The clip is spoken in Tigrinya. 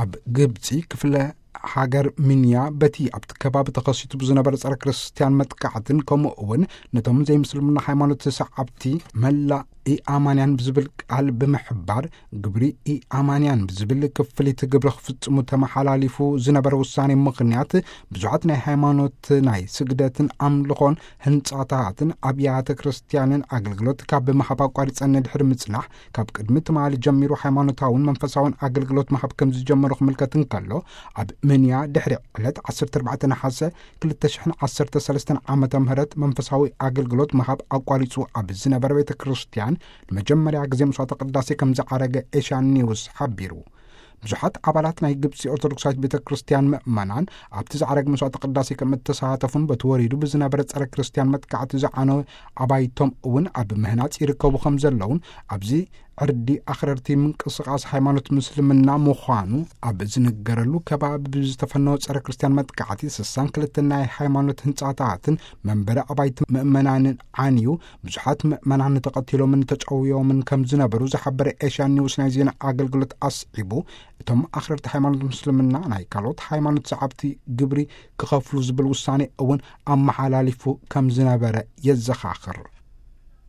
ኣብ ግብፂ ክፍለ ሃገር ምንያ በቲ ኣብቲ ከባቢ ተኸሲቱ ብዝነበረ ጸረ ክርስትያን መጥቃዕትን ከምኡ እውን ነቶም ዘይምስልምና ሃይማኖት ሰዓብቲ መላእ ኢኣማንያን ብዝብል ቃል ብምሕባር ግብሪ ኢኣማንያን ብዝብል ክፍሊት ግብሪ ክፍጽሙ ተመሓላሊፉ ዝነበረ ውሳኔ ምኽንያት ብዙሓት ናይ ሃይማኖት ናይ ስግደትን ኣምልኾን ህንጻታትን ኣብያተ ክርስትያንን ኣገልግሎት ካብ ምሃብ ኣቋሪጸን ድሕሪ ምጽናሕ ካብ ቅድሚ ትማሊ ጀሚሩ ሃይማኖታውን መንፈሳውን ኣገልግሎት ምሃብ ከም ዝጀመሩ ክምልከት እንከሎ ኣብ ምንያ ድሕሪ ዕለት ዓሰርተ ኣርባዕተ ነሓሰ ክልተ ሽሕን ዓሰርተ ሰለስተን ዓመተ ምህረት መንፈሳዊ ኣገልግሎት ምሃብ ኣቋሪጹ ኣብ ዝነበረ ቤተ ክርስትያን ንመጀመርያ ግዜ መስዋዕተ ቅዳሴ ከም ዝዓረገ ኤሽያን ኒውስ ሓቢሩ። ብዙሓት ኣባላት ናይ ግብፂ ኦርቶዶክሳዊት ቤተ ክርስትያን ምእመናን ኣብቲ ዝዓረግ መስዋዕተ ቅዳሴ ከም እተሳተፉን በቲ ወሪዱ ብዝነበረ ጸረ ክርስትያን መጥቃዕቲ ዝዓነወ ኣባይቶም እውን ኣብ ምህናጽ ይርከቡ ከም ዘለውን ኣብዚ ዕርዲ ኣኽረርቲ ምንቅስቃስ ሃይማኖት ምስልምና ምዃኑ ኣብ ዝንገረሉ ከባቢ ብዝተፈነወ ጸረ ክርስትያን መጥቃዕቲ ስሳን ክልተ ናይ ሃይማኖት ህንጻታትን መንበሪ ኣባይቲ ምእመናንን ዓንዩ ብዙሓት ምእመናን ተቐቲሎምን ተጨውዮምን ከም ዝነበሩ ዝሓበረ ኤሽያን ኒውስ ናይ ዜና ኣገልግሎት ኣስዒቡ እቶም ኣኽረርቲ ሃይማኖት ምስልምና ናይ ካልኦት ሃይማኖት ሰዓብቲ ግብሪ ክኸፍሉ ዝብል ውሳኔ እውን ኣመሓላሊፉ ከም ዝነበረ የዘኻኽር።